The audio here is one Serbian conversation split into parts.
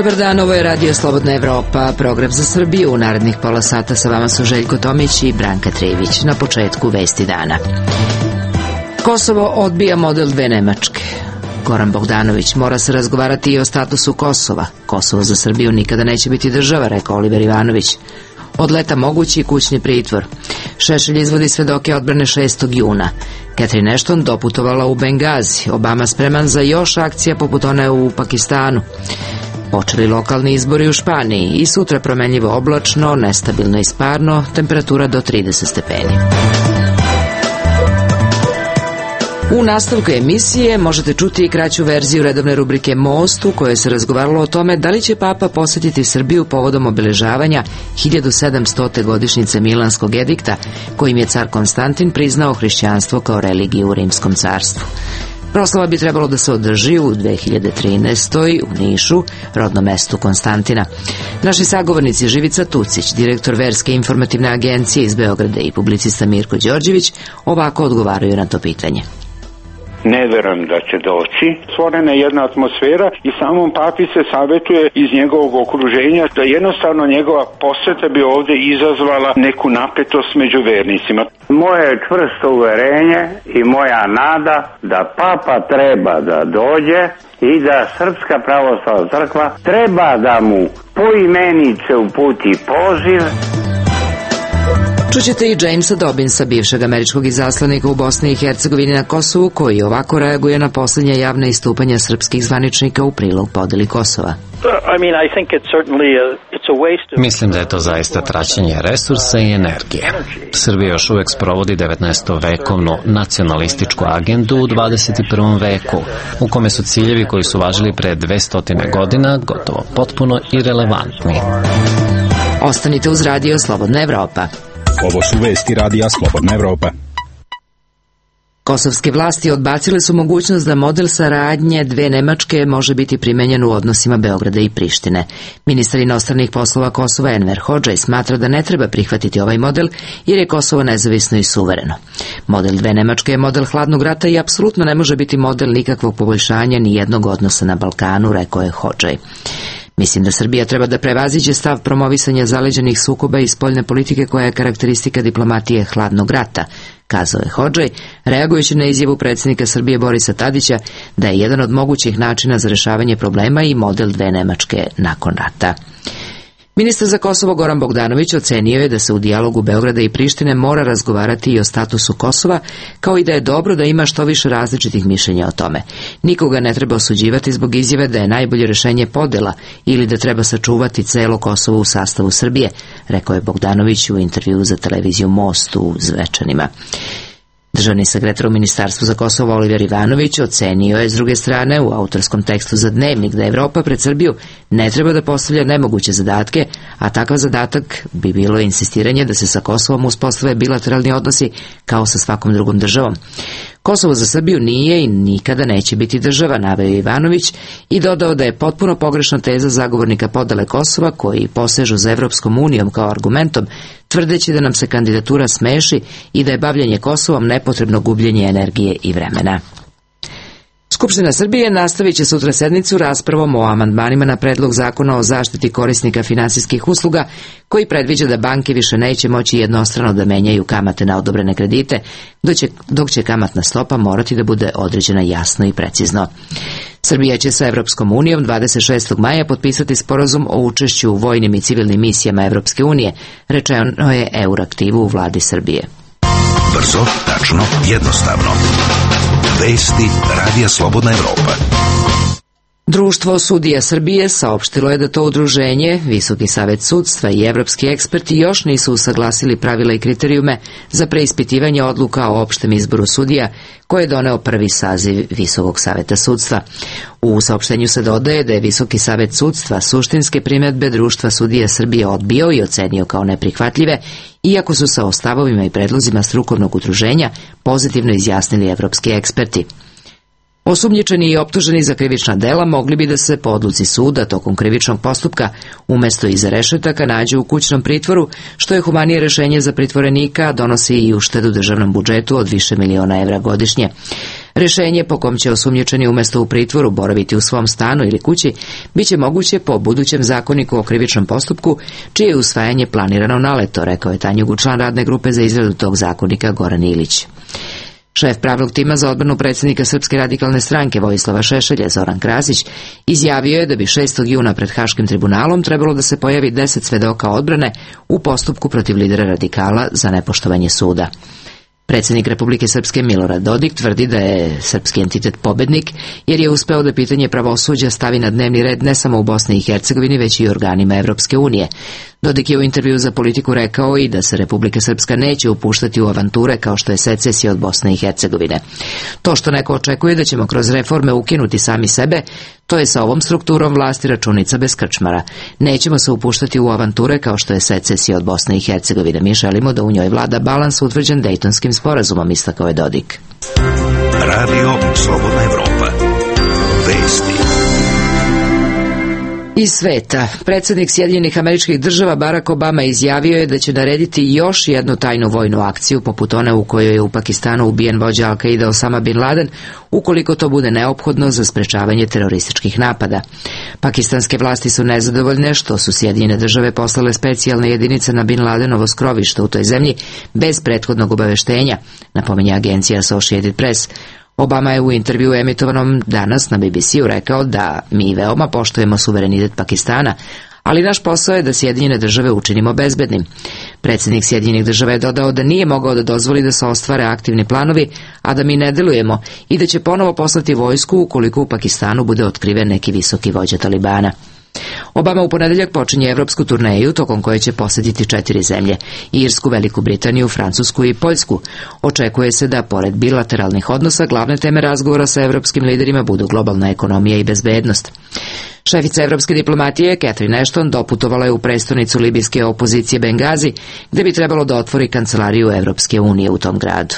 Dobar dan, ovo je Radio Slobodna Evropa, program za Srbiju. U narednih pola sata sa vama su Željko Tomić i Branka Trivić. Na početku vesti dana. Kosovo odbija model dve Nemačke. Goran Bogdanović: mora se razgovarati i o statusu Kosova. Kosovo za Srbiju nikada neće biti država, rekao Oliver Ivanović. Od leta mogući kućni pritvor. Šešelj izvodi svedoke odbrane 6. juna. Catherine Ashton doputovala u Bengazi. Obama spreman za još akcija poput one u Pakistanu. Počeli lokalni izbori u Španiji i sutra promenljivo oblačno, nestabilno i sparno, temperatura do 30 stepeni. U nastavku emisije možete čuti i kraću verziju redovne rubrike Most, u kojoj se razgovaralo o tome da li će Papa posjetiti Srbiju povodom obeležavanja 1700. godišnjice Milanskog edikta, kojim je car Konstantin priznao hrišćanstvo kao religiju u Rimskom carstvu. Proslava bi trebalo da se održi u 2013. u Nišu, rodnom mestu Konstantina. Naši sagovornici Živica Tucić, direktor Verske informativne agencije iz Beograda, i publicista Mirko Đorđević ovako odgovaraju na to pitanje. Ne verujem da će doći. Stvorena je jedna atmosfera i samom papi se savjetuje iz njegovog okruženja da jednostavno njegova posjeta bi ovdje izazvala neku napetost među vernicima. Moje je čvrsto uverenje i moja nada da papa treba da dođe i da Srpska pravoslavna crkva treba da mu poimenice uputi poziv. Čućete i Jamesa Dobbinsa, bivšeg američkog izaslanika u Bosni i Hercegovini na Kosovu, koji ovako reaguje na posljednja javna istupanja srpskih zvaničnika u prilog podeli Kosova. Mislim da je to zaista traćenje resursa i energije. Srbija još uvek sprovodi 19-vekovnu nacionalističku agendu u 21. veku, u kome su ciljevi koji su važili pre 200 godina gotovo potpuno irelevantni. Ostanite uz Radio Slobodna Evropa. Ovo su vesti Radija Slobodna Evropa. Kosovske vlasti odbacile su mogućnost da model saradnje dve Nemačke može biti primenjen u odnosima Beograda i Prištine. Ministar inostranih poslova Kosova Enver Hodžaj smatra da ne treba prihvatiti ovaj model jer je Kosovo nezavisno i suvereno. Model dve Nemačke je model hladnog rata i apsolutno ne može biti model nikakvog poboljšanja ni jednog odnosa na Balkanu, rekao je Hodžaj. Mislim da Srbija treba da prevaziđe stav promovisanja zaleđenih sukoba i spoljne politike koja je karakteristika diplomatije hladnog rata, kazao je Hodžaj, reagujući na izjavu predsjednika Srbije Borisa Tadića da je jedan od mogućih načina za rešavanje problema i model dve Nemačke nakon rata. Ministar za Kosovo Goran Bogdanović ocenio je da se u dijalogu Beograda i Prištine mora razgovarati i o statusu Kosova, kao i da je dobro da ima što više različitih mišljenja o tome. Nikoga ne treba osuđivati zbog izjave da je najbolje rešenje podela ili da treba sačuvati celo Kosovo u sastavu Srbije, rekao je Bogdanović u intervjuu za televiziju Most u Zvečanima. Državni sekretar u Ministarstvu za Kosovo Oliver Ivanović ocenio je s druge strane u autorskom tekstu za Dnevnik da Evropa pred Srbiju ne treba da postavlja nemoguće zadatke, a takav zadatak bi bilo insistiranje da se sa Kosovom uspostave bilateralni odnosi kao sa svakom drugom državom. Kosovo za Srbiju nije i nikada neće biti država, naveo je Ivanović i dodao da je potpuno pogrešna teza zagovornika podele Kosova koji posežu za Evropskom unijom kao argumentom, tvrdeći da nam se kandidatura smeši i da je bavljenje Kosovom nepotrebno gubljenje energije i vremena. Skupština Srbije nastavit će sutra sednicu raspravom o amandmanima na predlog zakona o zaštiti korisnika finansijskih usluga, koji predviđa da banke više neće moći jednostrano da menjaju kamate na odobrene kredite, dok će kamatna stopa morati da bude određena jasno i precizno. Srbija će sa Evropskom unijom 26. maja potpisati sporazum o učešću u vojnim i civilnim misijama Evropske unije, rečeno je Euraktivu u vladi Srbije. Brzo, tačno, jednostavno. Vesti Radija Slobodna Evropa. Društvo sudija Srbije saopštilo je da to udruženje, Visoki savet sudstva i evropski eksperti još nisu usaglasili pravila i kriterijume za preispitivanje odluka o opštem izboru sudija koje je doneo prvi saziv Visokog saveta sudstva. U saopštenju se dodaje da je Visoki savet sudstva suštinske primedbe Društva sudija Srbije odbio i ocenio kao neprihvatljive, iako su sa stavovima i predlozima strukovnog udruženja pozitivno izjasnili evropski eksperti. Osumnjičeni i optuženi za krivična dela mogli bi da se po odluci suda tokom krivičnog postupka umesto iza rešetaka nađu u kućnom pritvoru, što je humanije rešenje za pritvorenika, donosi i uštedu državnom budžetu od više miliona evra godišnje. Rešenje po kom će osumnjičeni umesto u pritvoru boraviti u svom stanu ili kući biće moguće po budućem zakoniku o krivičnom postupku, čije je usvajanje planirano na leto, rekao je Tanjugu, član radne grupe za izradu tog zakonika Goran Ilić. Šef pravnog tima za odbranu predsjednika Srpske radikalne stranke Vojislava Šešelja, Zoran Krasić, izjavio je da bi 6. juna pred Haškim tribunalom trebalo da se pojavi 10 svedoka odbrane u postupku protiv lidera radikala za nepoštovanje suda. Predsjednik Republike Srpske Milorad Dodik tvrdi da je srpski entitet pobednik, jer je uspeo da pitanje pravosuđa stavi na dnevni red ne samo u Bosni i Hercegovini, već i organima Evropske unije. Dodik je u intervju za Politiku rekao i da se Republika Srpska neće upuštati u avanture kao što je secesija od Bosne i Hercegovine. To što neko očekuje da ćemo kroz reforme ukinuti sami sebe, to je sa ovom strukturom vlasti računica bez krčmara. Nećemo se upuštati u avanture kao što je secesija od Bosne i Hercegovine. Mi želimo da u njoj vlada balans utvrđen Dejtonskim sporazumom, istakao je Dodik. Radio Slobodna Evropa. Vesti. Iz sveta, predsjednik Sjedinjenih Američkih Država Barack Obama izjavio je da će narediti još jednu tajnu vojnu akciju poput one u kojoj je u Pakistanu ubijen vođa Al-Qaida Osama Bin Laden, ukoliko to bude neophodno za sprečavanje terorističkih napada. Pakistanske vlasti su nezadovoljne što su Sjedinjene Države poslale specijalne jedinice na Bin Ladenovo skrovište u toj zemlji bez prethodnog obaveštenja, napominje agencija Associated Press. Obama je u intervju emitovanom danas na BBC-u rekao da mi veoma poštujemo suverenitet Pakistana, ali naš posao je da Sjedinjene Države učinimo bezbednim. Predsjednik Sjedinjenih Država je dodao da nije mogao da dozvoli da se ostvare aktivni planovi, a da mi ne delujemo i da će ponovo poslati vojsku ukoliko u Pakistanu bude otkriven neki visoki vođa Talibana. Obama u ponedeljak počinje evropsku turneju tokom koje će posjetiti 4 zemlje: Irsku, Veliku Britaniju, Francusku i Poljsku. Očekuje se da, pored bilateralnih odnosa, glavne teme razgovora sa evropskim liderima budu globalna ekonomija i bezbednost. Šefica evropske diplomatije Catherine Ashton doputovala je u prestonicu libijske opozicije Bengazi, gde bi trebalo da otvori kancelariju Evropske unije u tom gradu.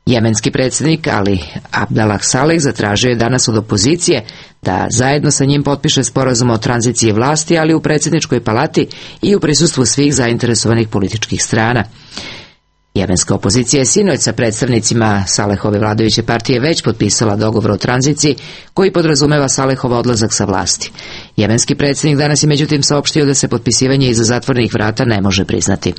Jemenski predsjednik Ali Abdallah Saleh zatražio je danas od opozicije da zajedno sa njim potpiše sporazum o tranziciji vlasti, ali u predsjedničkoj palati i u prisustvu svih zainteresovanih političkih strana. Jemenska opozicija je sinoć sa predstavnicima Salehove vladajuće partije već potpisala dogovor o tranziciji koji podrazumeva Salehov odlazak sa vlasti. Jemenski predsjednik danas je međutim saopštio da se potpisivanje iza zatvorenih vrata ne može priznati.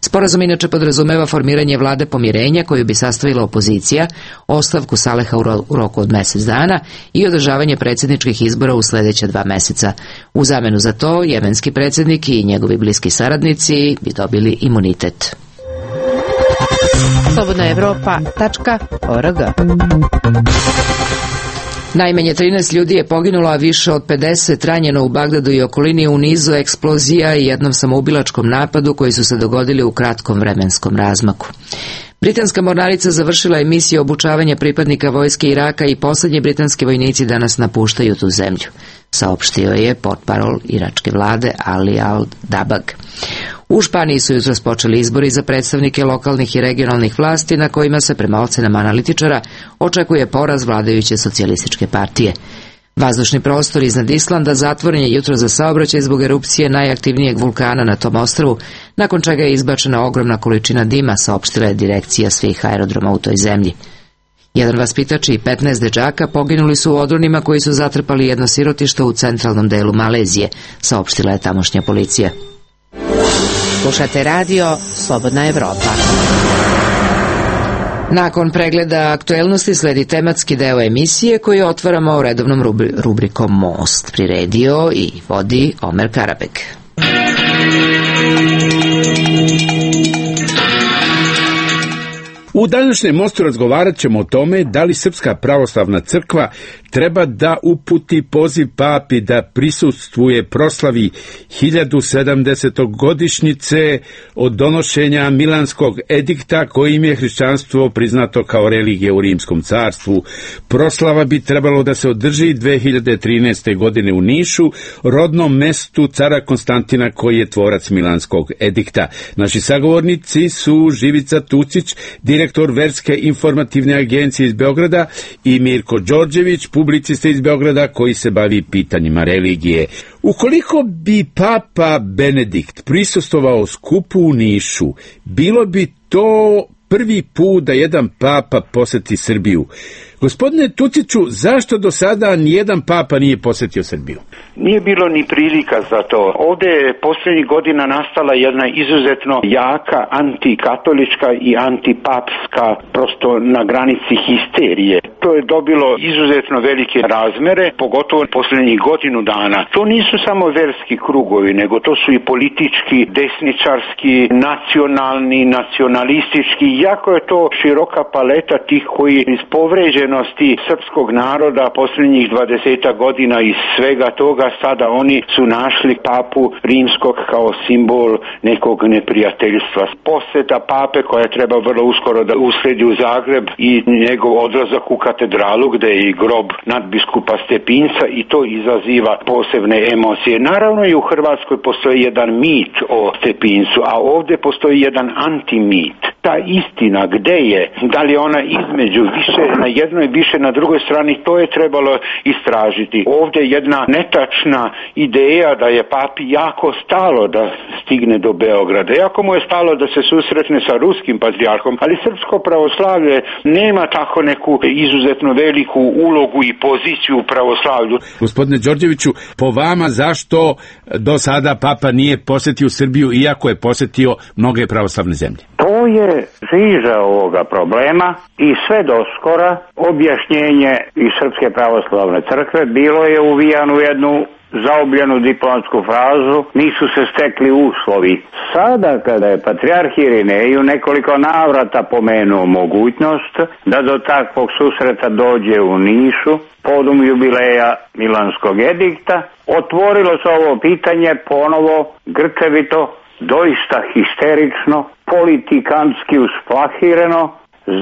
Sporazum inače podrazumeva formiranje vlade pomirenja koju bi sastavila opozicija, ostavku Saleha u roku od mjesec dana i održavanje predsjedničkih izbora u sljedeća 2 mjeseca. U zamenu za to jemenski predsjednik i njegovi bliski saradnici bi dobili imunitet. slobodnaevropa.org. Najmanje 13 ljudi je poginulo, a više od 50 ranjeno u Bagdadu i okolini u nizu eksplozija i jednom samoubilačkom napadu koji su se dogodili u kratkom vremenskom razmaku. Britanska mornarica završila je misiju obučavanja pripadnika vojske Iraka i posljednji britanski vojnici danas napuštaju tu zemlju, saopštio je portparol iračke vlade Ali Al-Dabag. U Španiji su jutros počeli izbori za predstavnike lokalnih i regionalnih vlasti na kojima se, prema ocenama analitičara, očekuje poraz vladajuće socijalističke partije. Vazdušni prostor iznad Islanda zatvoren je jutro za saobraćaj zbog erupcije najaktivnijeg vulkana na tom ostrvu, nakon čega je izbačena ogromna količina dima, saopštila je direkcija svih aerodroma u toj zemlji. Jedan vaspitač i 15 dečaka poginuli su u odronima koji su zatrpali jedno sirotište u centralnom delu Malezije, saopštila je tamošnja policija. Slušate radio Slobodna Evropa. Nakon pregleda aktuelnosti sledi tematski deo emisije koji otvaramo redovnom rubrikom Most. Priredio i vodi Omer Karabek. U današnjem Mostu razgovarat ćemo o tome da li Srpska pravoslavna crkva treba da uputi poziv papi da prisustvuje proslavi 1070. godišnjice od donošenja Milanskog edikta kojim je hrišćanstvo priznato kao religija u Rimskom carstvu. Proslava bi trebalo da se održi 2013. godine u Nišu, rodnom mestu cara Konstantina koji je tvorac Milanskog edikta. Naši sagovornici su Živica Tucić, direktor Verske informativne agencije iz Beograda, i Mirko Đorđević, publicista iz Beograda koji se bavi pitanjima religije. Ukoliko bi Papa Benedikt prisustvovao skupu u Nišu, bilo bi to prvi put da jedan papa poseti Srbiju. Gospodine Tuciću, zašto do sada nijedan papa nije posjetio Srbiju? Nije bilo ni prilika za to. Ovdje je posljednjih godina nastala jedna izuzetno jaka antikatolička i antipapska, prosto na granici histerije. To je dobilo izuzetno velike razmere, pogotovo posljednjih godinu dana. To nisu samo verski krugovi, nego to su i politički, desničarski, nacionalni, nacionalistički. Jako je to široka paleta tih koji iz povređenosti srpskog naroda posljednjih 20 godina i svega toga sada oni su našli papu rimskog kao simbol nekog neprijateljstva. Posjeta pape koja treba vrlo uskoro da usledi u Zagreb i njegov odlazak u katedralu gdje je i grob nadbiskupa Stepinca i to izaziva posebne emocije. Naravno i u Hrvatskoj postoji jedan mit o Stepincu, a ovdje postoji jedan antimit. Ta istina gdje je, da li je ona između više na jednoj, više na drugoj strani, to je trebalo istražiti. Ovdje je jedna netačna ideja da je papi jako stalo da stigne do Beograda. Jako mu je stalo da se susretne sa ruskim patrijarhom, ali srpsko pravoslavlje nema tako neku izuzetno veliku ulogu i poziciju u pravoslavlju. Gospodine Đorđeviću, po vama zašto do sada papa nije posjetio Srbiju iako je posjetio mnoge pravoslavne zemlje? To je žiža ovoga problema i sve doskora objašnjenje iz Srpske pravoslavne crkve bilo je uvijano u jednu zaobljenu diplomatsku frazu, nisu se stekli uslovi. Sada kada je patrijarh Irinej u nekoliko navrata pomenuo mogućnost da do takvog susreta dođe u Nišu podum jubileja Milanskog edikta, otvorilo se ovo pitanje ponovo grčevito, doista histerično, politikantski usplahireno.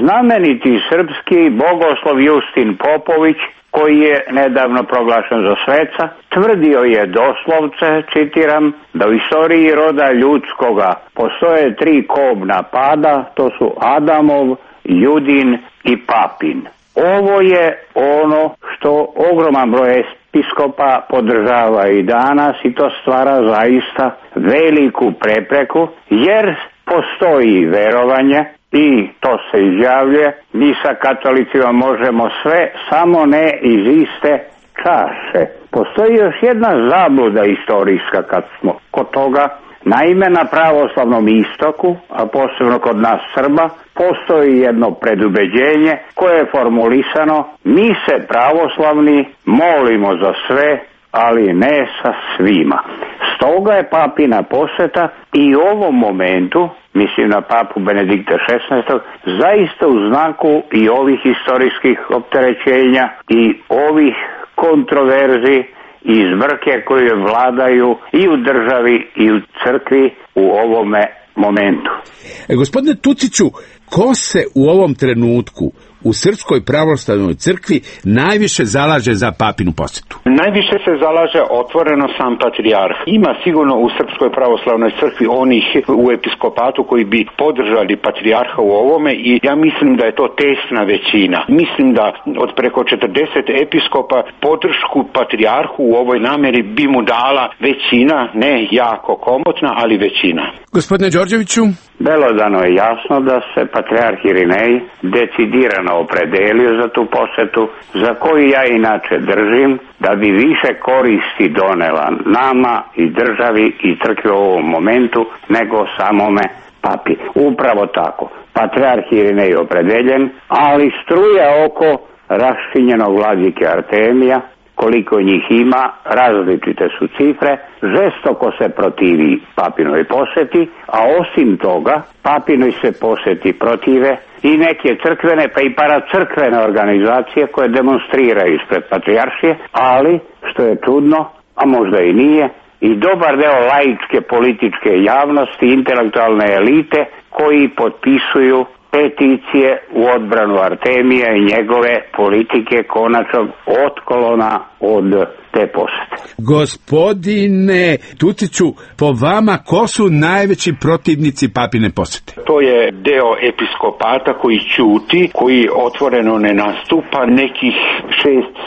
Znameniti srpski bogoslov Justin Popović, koji je nedavno proglašen za sveca, tvrdio je doslovce, citiram, da u istoriji roda ljudskoga postoje 3 kobna pada, to su Adamov, Judin i Papin. Ovo je ono što ogroman broj episkopa podržava i danas i to stvara zaista veliku prepreku, jer postoji verovanje i to se izjavljuje, mi sa katolicima možemo sve, samo ne iz iste čaše. Postoji još jedna zabluda istorijska kad smo kod toga. Naime, na pravoslavnom istoku, a posebno kod nas Srba, postoji jedno predubeđenje koje je formulisano: mi se pravoslavni molimo za sve, ali ne sa svima. Stoga je papina posjeta i u ovom momentu, mislim na papu Benedikta XVI, zaista u znaku i ovih historijskih opterećenja i ovih kontroverzi i zbrke koje vladaju i u državi i u crkvi u ovome momentu. Gospodine Tuciću, ko se u ovom trenutku u Srpskoj pravoslavnoj crkvi najviše zalaže za papinu posjetu? Najviše se zalaže otvoreno sam patrijarh. Ima sigurno u Srpskoj pravoslavnoj crkvi onih u episkopatu koji bi podržali patrijarha u ovome i ja mislim da je to tesna većina. Mislim da od preko 40 episkopa podršku patrijarhu u ovoj namjeri bi mu dala većina, ne jako komotna, ali većina. Gospodine Đorđeviću? Belodano je jasno da se patrijarh Irinej decidirano opredelio za tu posjetu, za koju ja inače držim da bi više koristi donela nama i državi i crkvi u ovom momentu nego samome papi. Upravo tako. Patrijarh Irinej je opredeljen, ali struja oko raščinjenog vladike Artemija, koliko njih ima, različite su cifre, žestoko se protivi papinoj posjeti, a osim toga papinoj se posjeti protive i neke crkvene pa i paracrkvene organizacije koje demonstriraju ispred patrijaršije, ali što je čudno, a možda i nije, i dobar deo laičke političke javnosti, intelektualne elite koji potpisuju peticije u odbranu Artemija i njegove politike konačnog otklona od te posjete. Gospodine Tuciću, po vama ko su najveći protivnici papine posjete? To je deo episkopata koji ćuti, koji otvoreno ne nastupa, nekih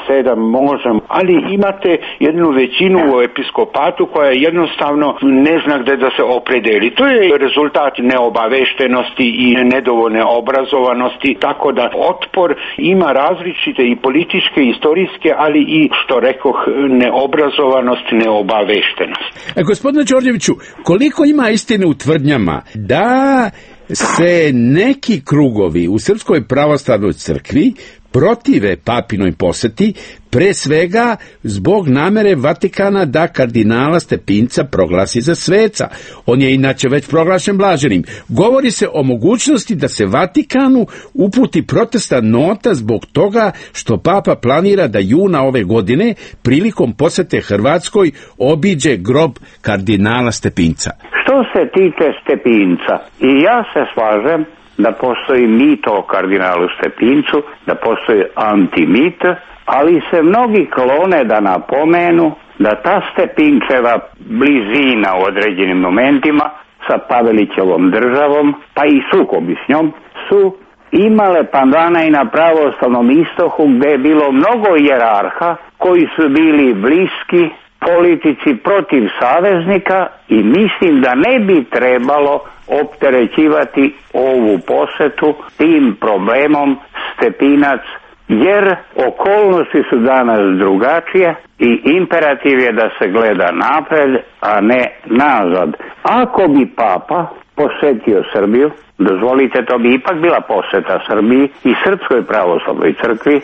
6-7 možda, ali imate jednu većinu u episkopatu koja jednostavno ne zna gde da se opredeli. To je rezultat neobaveštenosti i nedovoljne neobrazovanosti, tako da otpor ima različite i političke, i istorijske, ali i, što rekoh, neobrazovanost, neobaveštenost. Gospodine Đorđeviću, koliko ima istine u tvrdnjama da se neki krugovi u Srpskoj pravoslavnoj crkvi protive papinoj poseti, pre svega zbog namere Vatikana da kardinala Stepinca proglasi za sveca. On je inače već proglašen blaženim. Govori se o mogućnosti da se Vatikanu uputi protestna nota zbog toga što papa planira da juna ove godine prilikom posete Hrvatskoj obiđe grob kardinala Stepinca. Što se tiče Stepinca, i ja se slažem da postoji mit o kardinalu Stepincu, da postoji antimit, ali se mnogi klone da napomenu da ta Stepinčeva blizina u određenim momentima sa Pavelićevom državom, pa i sukobi s njom, su imale pandana i na pravoslavnom istoku, gde je bilo mnogo hijerarha koji su bili bliski politici protiv saveznika, i mislim da ne bi trebalo opterećivati ovu posetu tim problemom Stepinac, jer okolnosti su danas drugačije i imperativ je da se gleda napred, a ne nazad. Ako bi papa posetio Srbiju, dozvolite, to bi ipak bila poseta Srbiji i Srpskoj pravoslavnoj crkvi,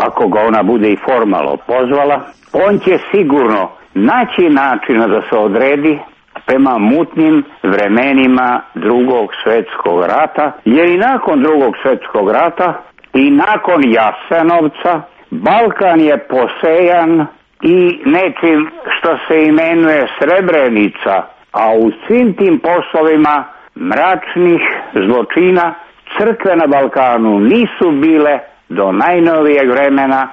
ako ga ona bude i formalno pozvala, on će sigurno naći načina da se odredi prema mutnim vremenima Drugog svjetskog rata, jer i nakon Drugog svjetskog rata i nakon Jasenovca Balkan je posejan i nečim što se imenuje Srebrenica, a u svim tim poslovima mračnih zločina crkve na Balkanu nisu bile do najnovijeg vremena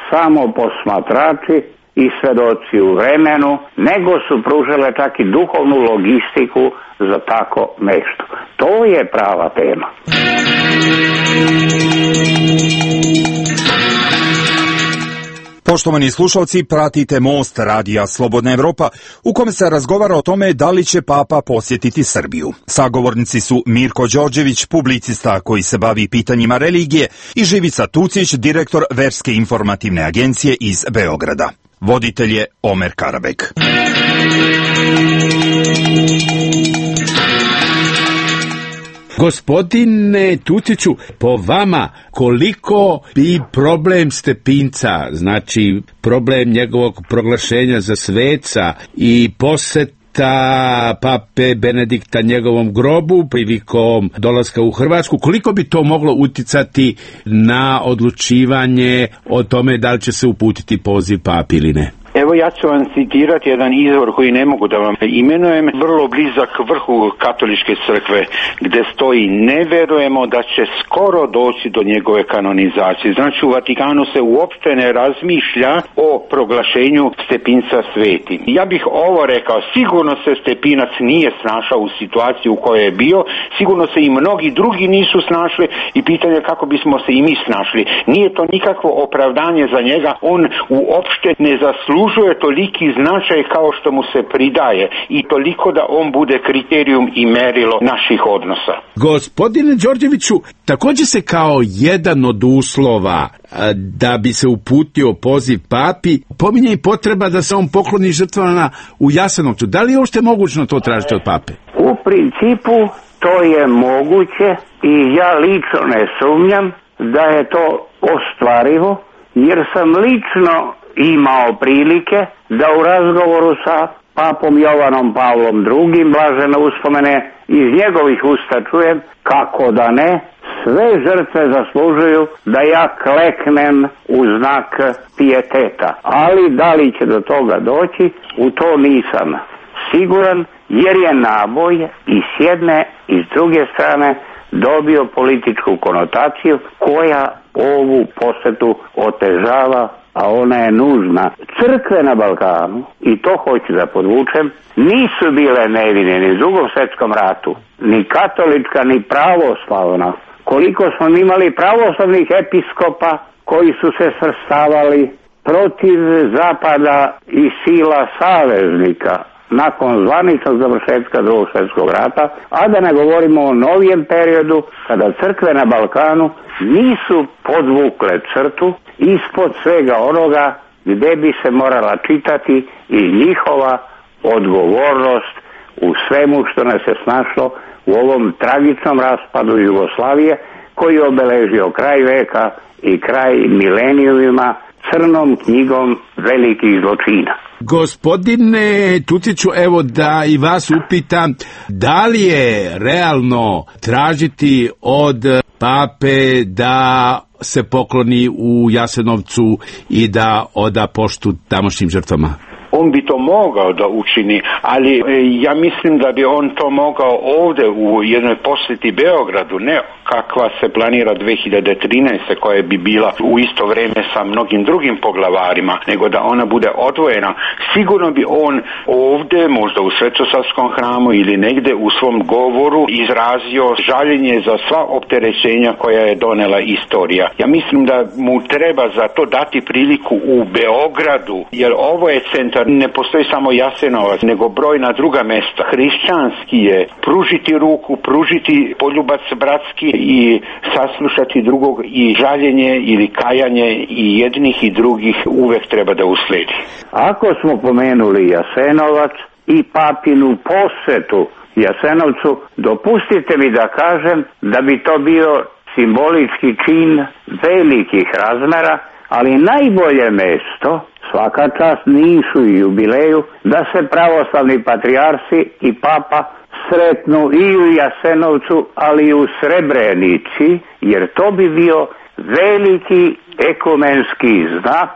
samo posmatrači i svedoci u vremenu, nego su pružile čak i duhovnu logistiku za tako nešto. To je prava tema. Poštovani slušalci, pratite Most radija Slobodna Evropa, u kome se razgovara o tome da li će papa posjetiti Srbiju. Sagovornici su Mirko Đorđević, publicista koji se bavi pitanjima religije, i Živica Tucić, direktor Verske informativne agencije iz Beograda. Voditelj je Omer Karabek. Gospodine Tuciću, po vama, koliko bi problem Stepinca, znači problem njegovog proglašenja za sveca i poseta pape Benedikta njegovom grobu prilikom dolaska u Hrvatsku, koliko bi to moglo uticati na odlučivanje o tome da li će se uputiti poziv papi ili ne? Evo, ja ću vam citirati jedan izvor koji ne mogu da vam imenujem, vrlo blizak vrhu katoličke crkve, gde stoji: ne verujemo da će skoro doći do njegove kanonizacije. Znači, u Vatikanu se uopšte ne razmišlja o proglašenju Stepinca svetim. Ja bih ovo rekao: sigurno se Stepinac nije snašao u situaciji u kojoj je bio, sigurno se i mnogi drugi nisu snašli, i pitanje kako bismo se i mi snašli. Nije to nikakvo opravdanje za njega, on uopšte ne zaslužuje toliki značaj kao što mu se pridaje, i toliko da on bude kriterijum i merilo naših odnosa. Gospodine Đorđeviću, također se kao jedan od uslova da bi se uputio poziv papi pominje i potreba da se on pokloni žrtvama u Jasenovcu. Da li je uopšte mogućno to tražiti od pape? U principu to je moguće i ja lično ne sumnjam da je to ostvarivo, jer sam lično imao prilike da u razgovoru sa papom Jovanom Pavlom II, blažene uspomene, iz njegovih usta čujem, kako da ne, sve žrtve zaslužuju da ja kleknem u znak pijeteta. Ali da li će do toga doći, u to nisam siguran, jer je naboj i s jedne i s druge strane dobio političku konotaciju koja ovu posetu otežava, a ona je nužna. Crkve na Balkanu, i to hoću da podvučem, nisu bile nevine ni u Drugom svjetskom ratu, ni katolička, ni pravoslavna. Koliko smo imali pravoslavnih episkopa koji su se svrstavali protiv zapada i sila saveznika, nakon zvaničnog završetka Drugog svjetskog rata, a da ne govorimo o novijem periodu kada crkve na Balkanu nisu podvukle crtu ispod svega onoga gdje bi se morala čitati i njihova odgovornost u svemu što nas je snašlo u ovom tragičnom raspadu Jugoslavije koji je obeležio kraj veka i kraj milenijumima crnom knjigom velikih zločina. Gospodine Tuciću, evo da i vas upitam, da li je realno tražiti od pape da se pokloni u Jasenovcu i da oda poštu tamošnjim žrtvama? On bi to mogao da učini, ali ja mislim da bi on to mogao ovdje u jednoj posjeti Beogradu, ne kakva se planira 2013. koja bi bila u isto vrijeme sa mnogim drugim poglavarima, nego da ona bude odvojena. Sigurno bi on ovdje, možda u Svetosarskom hramu ili negdje u svom govoru izrazio žaljenje za sva opterećenja koja je donela istorija. Ja mislim da mu treba za to dati priliku u Beogradu, jer ovo je centar, ne postoji samo Jasenovac, nego brojna druga mjesta. Hrišćanski je pružiti ruku, pružiti poljubac bratski i saslušati drugog, i žaljenje ili kajanje i jednih i drugih uvek treba da usledi. Ako smo pomenuli Jasenovac i papinu posjetu Jasenovcu, dopustite mi da kažem da bi to bio simbolički čin velikih razmera, ali najbolje mesto, svaka čast Nišu i jubileju, da se pravoslavni patrijarsi i papa sretnu i u Jasenovcu, ali i u Srebrenici, jer to bi bio veliki ekumenski znak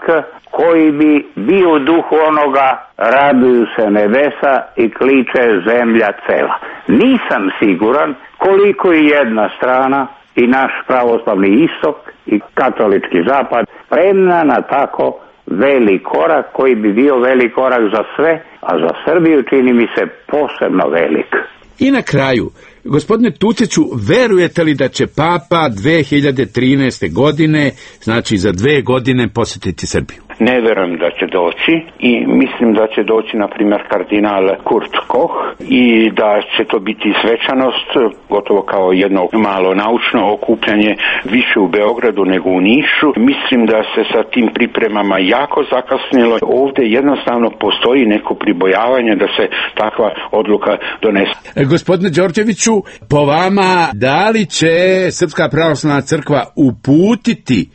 koji bi bio u duhu onoga raduju se nebesa i kliče zemlja cela. Nisam siguran koliko i jedna strana, i naš pravoslavni istok i katolički zapad, spremna na tako velik korak koji bi bio velik korak za sve, a za Srbiju čini mi se posebno velik. I na kraju, gospodine Tuciću, verujete li da će papa 2013. godine, znači za 2 godine, posjetiti Srbiju? Ne verujem da će doći i mislim da će doći, na primjer, kardinal Kurt Koch i da će to biti svečanost, gotovo kao jedno malo naučno okupljanje, više u Beogradu nego u Nišu. Mislim da se sa tim pripremama jako zakasnilo. Ovdje jednostavno postoji neko pribojavanje da se takva odluka donese. Gospodine Đorđeviću, po vama, da li će Srpska pravoslavna crkva uputiti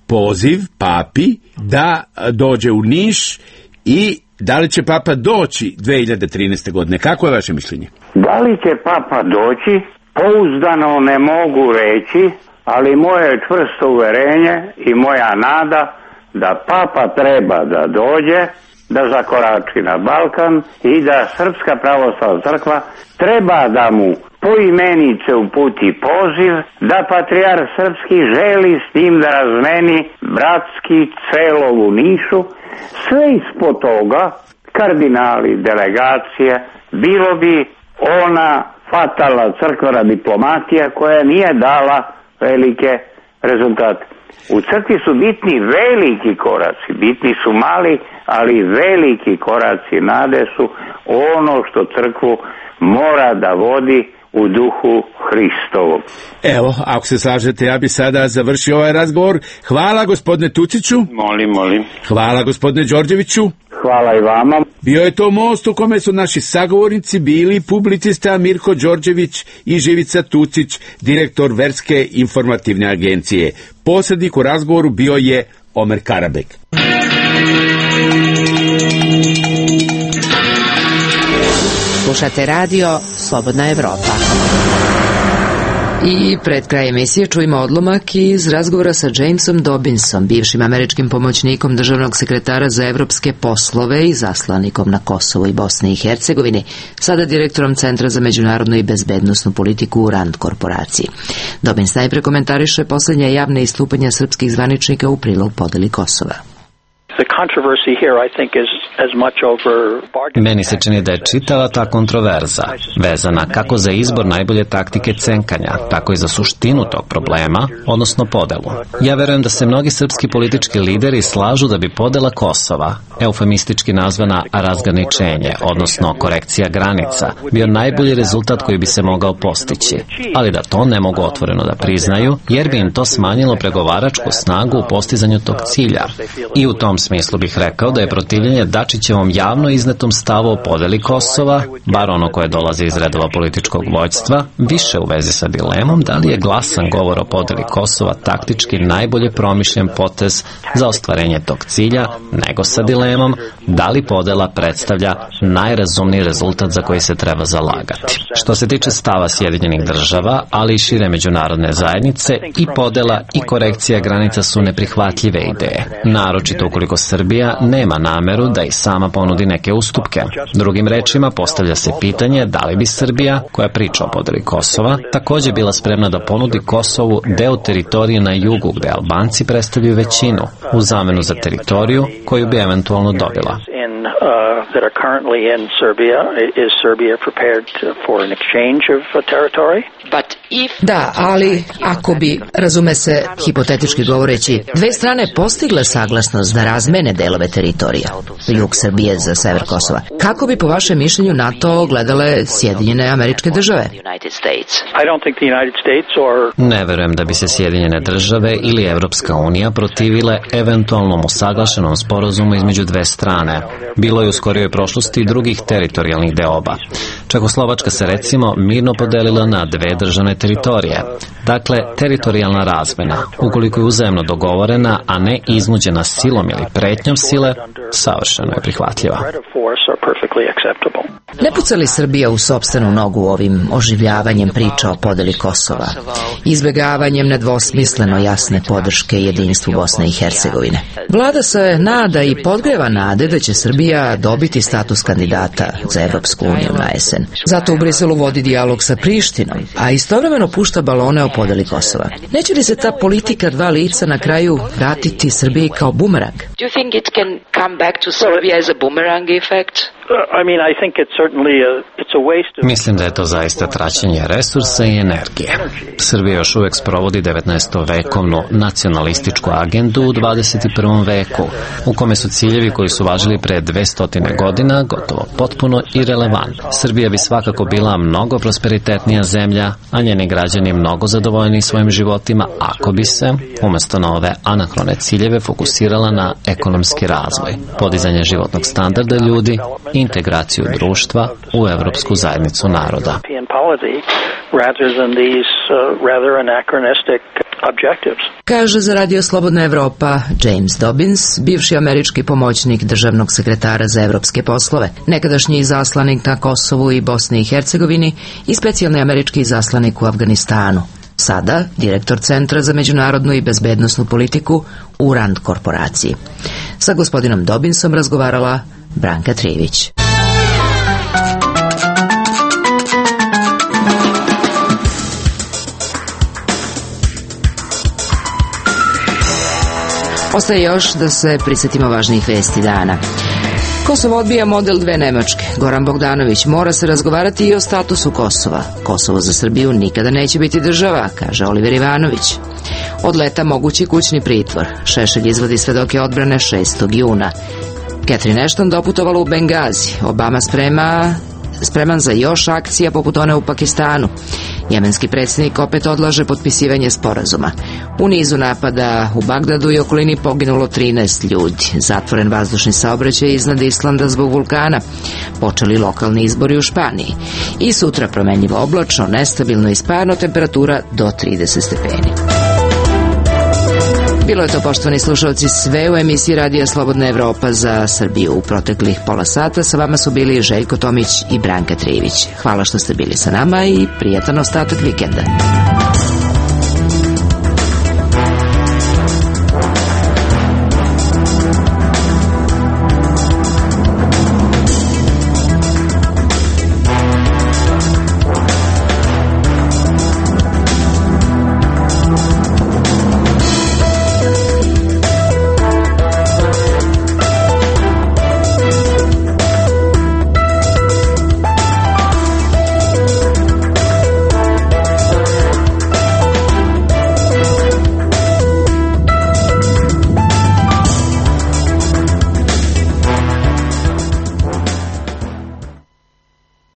poziv papi da dođe u Niš i da li će papa doći 2013. godine? Kako je vaše mišljenje? Da li će papa doći? Pouzdano ne mogu reći, ali moje čvrsto uverenje i moja nada da papa treba da dođe, da zakorači na Balkan i da Srpska pravoslavna crkva treba da mu poimenice uputi poziv, da patrijarh srpski želi s njim da razmeni bratski celov u Nišu. Sve ispod toga, kardinali, delegacije, bilo bi ona fatalna crkvena diplomatija koja nije dala velike rezultate. U crkvi su bitni veliki koraci, bitni su mali, ali veliki koraci nade su ono što crkvu mora da vodi u duhu Hristovom. Evo, ako se slažete, ja bi sada završio ovaj razgovor. Hvala gospodine Tuciću. Molim. Hvala gospodine Đorđeviću. Hvala i vama. Bio je to most u kome su naši sagovornici bili publicista Mirko Đorđević i Živica Tucić, direktor Verske informativne agencije. Posrednik u razgovoru bio je Omer Karabek. Slušate radio Slobodna Evropa. I pred kraj emisije čujemo odlomak iz razgovora sa Jamesom Dobbinsom, bivšim američkim pomoćnikom državnog sekretara za evropske poslove i zaslanikom na Kosovo i Bosni i Hercegovini, sada direktorom Centra za međunarodnu i bezbednosnu politiku u RAND korporaciji. Dobbins najpre komentariše posljednje javne istupanja srpskih zvaničnika u prilog podeli Kosova. Meni se čini da je čitava ta kontroverza vezana kako za izbor najbolje taktike cenkanja, tako i za suštinu tog problema, odnosno podelu. Ja verujem da se mnogi srpski politički lideri slažu da bi podela Kosova, eufemistički nazvana razgraničenje, odnosno korekcija granica, bio najbolji rezultat koji bi se mogao postići, ali da to ne mogu otvoreno da priznaju, jer bi im to smanjilo pregovaračku snagu u postizanju tog cilja. I u tom smislu bih rekao da je protivljenje Dačićevom javno iznetom stavu o podeli Kosova, bar ono koje dolazi iz redova političkog vođstva, više u vezi sa dilemom da li je glasan govor o podeli Kosova taktički najbolje promišljen potez za ostvarenje tog cilja, nego sa dilemom da li podela predstavlja najrazumniji rezultat za koji se treba zalagati. Što se tiče stava Sjedinjenih država, ali i šire međunarodne zajednice, i podela i korekcija granica su neprihvatljive ideje, naročito ukoliko Srbija nema nameru da i sama ponudi neke ustupke. Drugim rečima, postavlja se pitanje da li bi Srbija, koja priča o podeli Kosova, također bila spremna da ponudi Kosovu deo teritorije na jugu gde Albanci predstavljaju većinu, u zamenu za teritoriju koju bi eventualno dobila. That are currently in Serbia, is Serbia prepared for an exchange of territory? Da, ali ako bi, razume se, hipotetički govoreći, dve strane postigle saglasnost da razmene delove teritorija, jug Srbije za sever Kosova, kako bi po vašem mišljenju na to gledale Sjedinjene Američke Države? Ne verujem da bi se Sjedinjene Države ili Evropska unija protivile eventualnom usaglašenom sporazumu između dve strane. Bilo je u skorijoj prošlosti i drugih teritorijalnih deoba. Čehoslovačka se recimo mirno podelila na dve državne teritorije. Dakle, teritorijalna razmena, ukoliko je uzajamno dogovorena, a ne iznuđena silom ili pretnjom sile, savršeno je prihvatljiva. Ne puca li Srbija u sopstvenu nogu ovim oživljavanjem priča o podeli Kosova, izbegavanjem nedvosmisleno jasne podrške jedinstvu Bosne i Hercegovine? Vlada se nada i podgreva nade da će Srbija dobiti status kandidata za Evropsku uniju na jesen. Zato u Briselu vodi dijalog sa Prištinom, a istovremeno pušta balone o podeli Kosova. Neće li se ta politika dva lica na kraju vratiti Srbiji kao bumerang? Do you think it can come back to Serbia as a boomerang effect? Mislim da je to zaista traćenje resursa i energije. Srbija još uvek sprovodi 19-vekovnu nacionalističku agendu u 21. veku, u kome su ciljevi koji su važili pre 200 godina gotovo potpuno irelevantni. Srbija bi svakako bila mnogo prosperitetnija zemlja, a njeni građani mnogo zadovoljni svojim životima ako bi se, umesto na ove anahrone ciljeve, fokusirala na ekonomski razvoj, podizanje životnog standarda ljudi, integraciju društva u Evropsku zajednicu naroda. Kaže za Radio Slobodna Evropa James Dobbins, bivši američki pomoćnik državnog sekretara za evropske poslove, nekadašnji izaslanik na Kosovu i Bosni i Hercegovini i specijalni američki izaslanik u Afganistanu. Sada direktor Centra za međunarodnu i bezbednosnu politiku u Rand korporaciji. Sa gospodinom Dobbinsom razgovarala Branka Trijević. Ostaje još da se prisjetimo važnih vesti dana. Kosovo odbija model dve Nemačke. Goran Bogdanović, mora se razgovarati i o statusu Kosova. Kosovo za Srbiju nikada neće biti država, kaže Oliver Ivanović. Od leta mogući kućni pritvor. Šešelj izvodi svedoke odbrane 6. juna. Catherine Ashton doputovala u Bengazi. Obama spreman za još akcija poput one u Pakistanu. Jemenski predsjednik opet odlaže potpisivanje sporazuma. U nizu napada u Bagdadu i okolini poginulo 13 ljudi. Zatvoren vazdušni saobraćaj iznad Islanda zbog vulkana. Počeli lokalni izbori u Španiji. I sutra promenljivo oblačno, nestabilno i sparno, temperatura do 30 stepeni. Bilo je to, poštovani slušalci, sve u emisiji Radija Slobodna Evropa za Srbiju. U proteklih pola sata sa vama su bili Željko Tomić i Branka Trijević. Hvala što ste bili sa nama i prijatan ostatak vikenda.